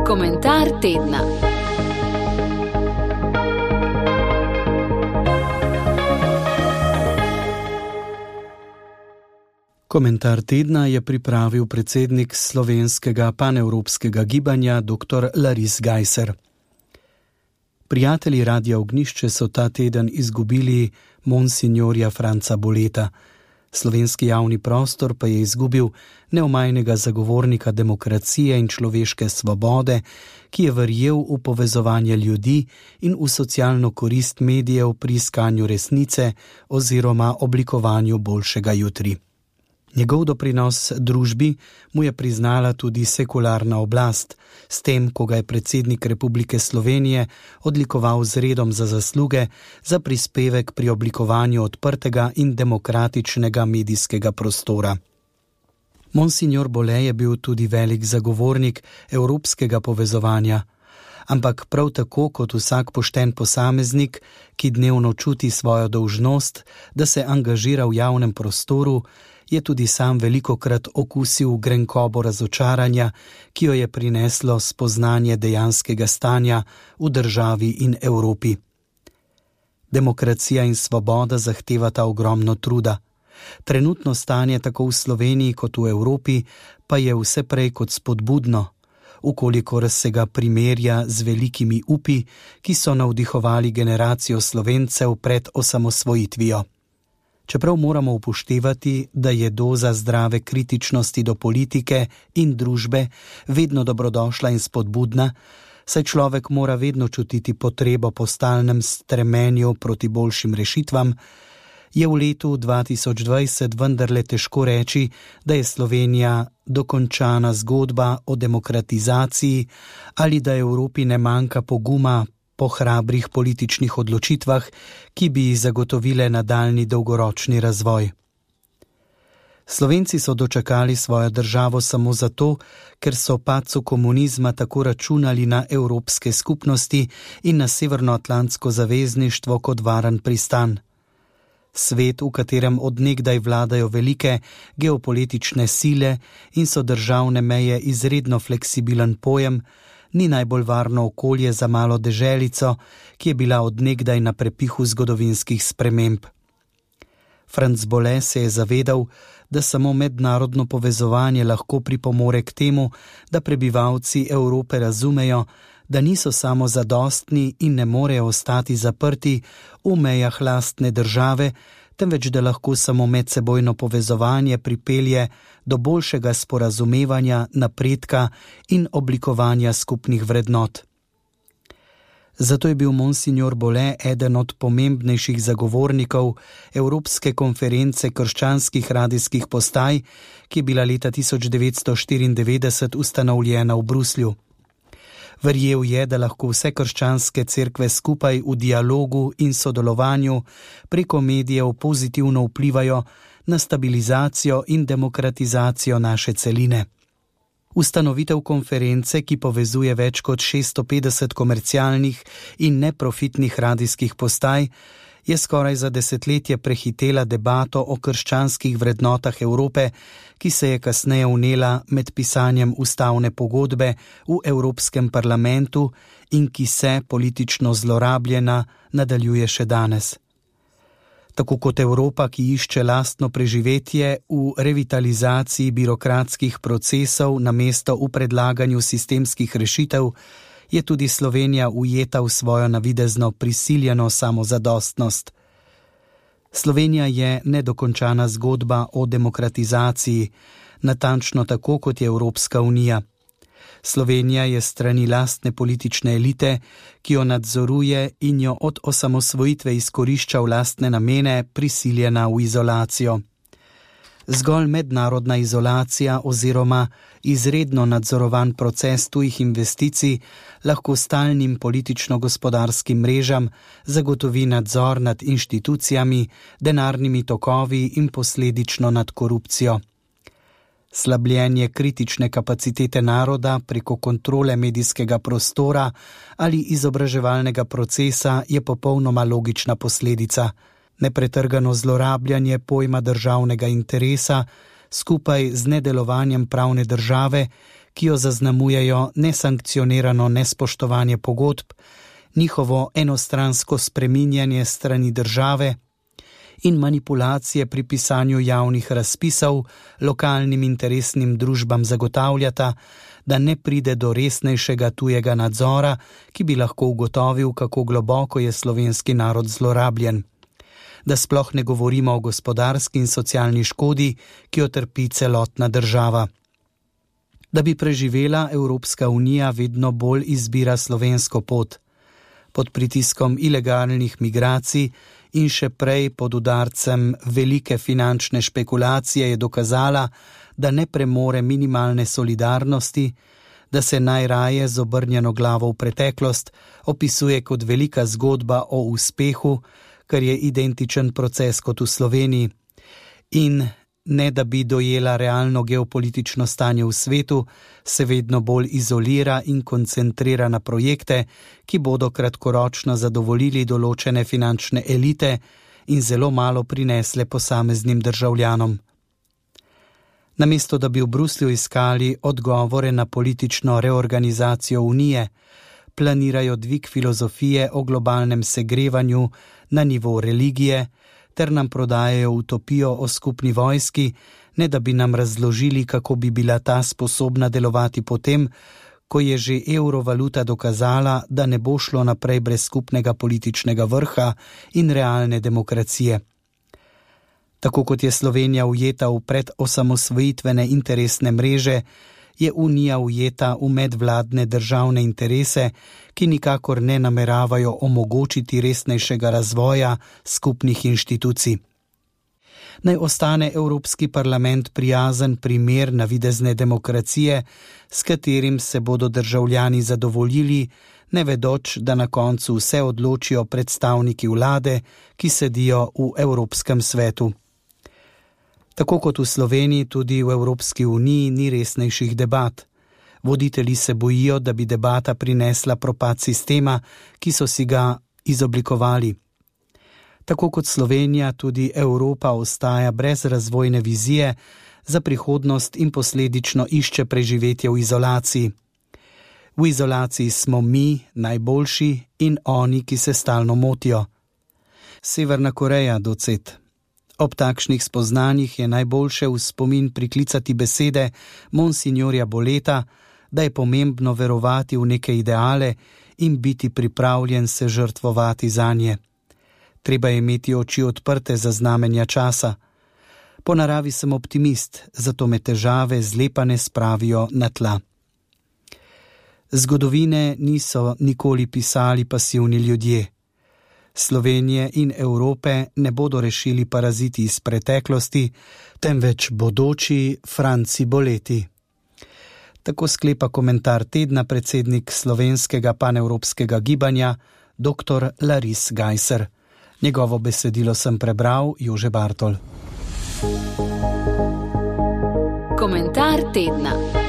Komentar tedna. Komentar tedna je pripravil predsednik slovenskega panevropskega gibanja dr. Laris Gajser. Prijatelji Radia Ognjišče so ta teden izgubili monsinjorja Franca Boleta. Slovenski javni prostor pa je izgubil neomajnega zagovornika demokracije in človeške svobode, ki je verjel v povezovanje ljudi in v socialno korist medijev pri iskanju resnice oziroma oblikovanju boljšega jutri. Njegov doprinos družbi mu je priznala tudi sekularna oblast, s tem, ko ga je predsednik Republike Slovenije odlikoval z redom za zasluge za prispevek pri oblikovanju odprtega in demokratičnega medijskega prostora. Monsignor Bole je bil tudi velik zagovornik evropskega povezovanja, ampak prav tako kot vsak pošten posameznik, ki dnevno čuti svojo dolžnost, da se angažira v javnem prostoru, je tudi sam velikokrat okusil grenkobo razočaranja, ki jo je prineslo spoznanje dejanskega stanja v državi in Evropi. Demokracija in svoboda zahtevata ogromno truda. Trenutno stanje tako v Sloveniji kot v Evropi pa je vse prej kot spodbudno, ukolikor se ga primerja z velikimi upi, ki so navdihovali generacijo Slovencev pred osamosvojitvijo. Čeprav moramo upoštevati, da je doza zdrave kritičnosti do politike in družbe vedno dobrodošla in spodbudna, saj človek mora vedno čutiti potrebo po stalnem stremenju proti boljšim rešitvam, je v letu 2020 vendarle težko reči, da je Slovenija dokončana zgodba o demokratizaciji ali da Evropi ne manjka poguma po hrabrih političnih odločitvah, ki bi zagotovile nadaljnji dolgoročni razvoj. Slovenci so dočakali svojo državo samo zato, ker so padcu komunizma tako računali na evropske skupnosti in na Severnoatlantsko zavezništvo kot varen pristan. Svet, v katerem od nekdaj vladajo velike geopolitične sile in so državne meje izredno fleksibilen pojem, ni najbolj varno okolje za malo deželico, ki je bila od nekdaj na prepihu zgodovinskih sprememb. Franc Bole se je zavedal, da samo mednarodno povezovanje lahko pripomore k temu, da prebivalci Evrope razumejo, da niso samo zadostni in ne morejo ostati zaprti v mejah lastne države, temveč da lahko samo medsebojno povezovanje pripelje do boljšega sporazumevanja, napredka in oblikovanja skupnih vrednot. Zato je bil monsignor Bole eden od pomembnejših zagovornikov Evropske konference krščanskih radijskih postaj, ki je bila leta 1994 ustanovljena v Bruslju. Verjel je, da lahko vse krščanske cerkve skupaj v dialogu in sodelovanju preko medijev pozitivno vplivajo na stabilizacijo in demokratizacijo naše celine. Ustanovitev konference, ki povezuje več kot 650 komercialnih in neprofitnih radijskih postaj, je skoraj za desetletje prehitela debato o krščanskih vrednotah Evrope, ki se je kasneje vnela med pisanjem ustavne pogodbe v Evropskem parlamentu in ki se, politično zlorabljena, nadaljuje še danes. Tako kot Evropa, ki išče lastno preživetje v revitalizaciji birokratskih procesov namesto v predlaganju sistemskih rešitev, je tudi Slovenija ujeta v svojo navidezno prisiljeno samozadostnost. Slovenija je nedokončana zgodba o demokratizaciji, natančno tako kot je Evropska unija. Slovenija je strani lastne politične elite, ki jo nadzoruje in jo od osamosvojitve izkorišča v lastne namene, prisiljena v izolacijo. Zgolj mednarodna izolacija oziroma izredno nadzorovan proces tujih investicij lahko stalnim politično-gospodarskim mrežam zagotovi nadzor nad inštitucijami, denarnimi tokovi in posledično nad korupcijo. Slabljenje kritične kapacitete naroda preko kontrole medijskega prostora ali izobraževalnega procesa je popolnoma logična posledica. Nepretrgano zlorabljanje pojma državnega interesa skupaj z nedelovanjem pravne države, ki jo zaznamujejo nesankcionirano nespoštovanje pogodb, njihovo enostransko spreminjanje strani države in manipulacije pri pisanju javnih razpisov lokalnim interesnim družbam zagotavljata, da ne pride do resnejšega tujega nadzora, ki bi lahko ugotovil, kako globoko je slovenski narod zlorabljen. Da sploh ne govorimo o gospodarski in socialni škodi, ki jo trpi celotna država. Da bi preživela, Evropska unija vedno bolj izbira slovensko pot. Pod pritiskom ilegalnih migracij in še prej pod udarcem velike finančne špekulacije je dokazala, da ne premore minimalne solidarnosti, da se najraje z obrnjeno glavo v preteklost opisuje kot velika zgodba o uspehu, kar je identičen proces kot v Sloveniji, in ne da bi dojela realno geopolitično stanje v svetu, se vedno bolj izolira in koncentrira na projekte, ki bodo kratkoročno zadovoljili določene finančne elite in zelo malo prinesle posameznim državljanom. Namesto da bi v Bruslju iskali odgovore na politično reorganizacijo Unije, planirajo dvig filozofije o globalnem segrevanju na nivo religije, ter nam prodajajo utopijo o skupni vojski, ne da bi nam razložili, kako bi bila ta sposobna delovati potem, ko je že evrovaluta dokazala, da ne bo šlo naprej brez skupnega političnega vrha in realne demokracije. Tako kot je Slovenija ujeta v predosamosvojitvene interesne mreže, je Unija ujeta v medvladne državne interese, ki nikakor ne nameravajo omogočiti resnejšega razvoja skupnih inštitucij. Naj ostane Evropski parlament prijazen primer navidezne demokracije, s katerim se bodo državljani zadovoljili, ne vedoč, da na koncu vse odločijo predstavniki vlade, ki sedijo v Evropskem svetu. Tako kot v Sloveniji, tudi v Evropski uniji ni resnejših debat. Voditelji se bojijo, da bi debata prinesla propad sistema, ki so si ga izoblikovali. Tako kot Slovenija, tudi Evropa ostaja brez razvojne vizije za prihodnost in posledično išče preživetje v izolaciji. V izolaciji smo mi, najboljši, in oni, ki se stalno motijo. Severna Koreja, docet. Ob takšnih spoznanjih je najboljše v spomin priklicati besede monsignorja Boleta, da je pomembno verovati v neke ideale in biti pripravljen se žrtvovati zanje. Treba je imeti oči odprte za znamenja časa. Po naravi sem optimist, zato me težave zlepane spravijo na tla. Zgodovine niso nikoli pisali pasivni ljudje. Slovenije in Evrope ne bodo rešili paraziti iz preteklosti, temveč bodoči Franci Boleti. Tako sklepa komentar tedna predsednik slovenskega panevropskega gibanja, dr. Laris Gajser. Njegovo besedilo sem prebral, Jože Bartol. Komentar tedna.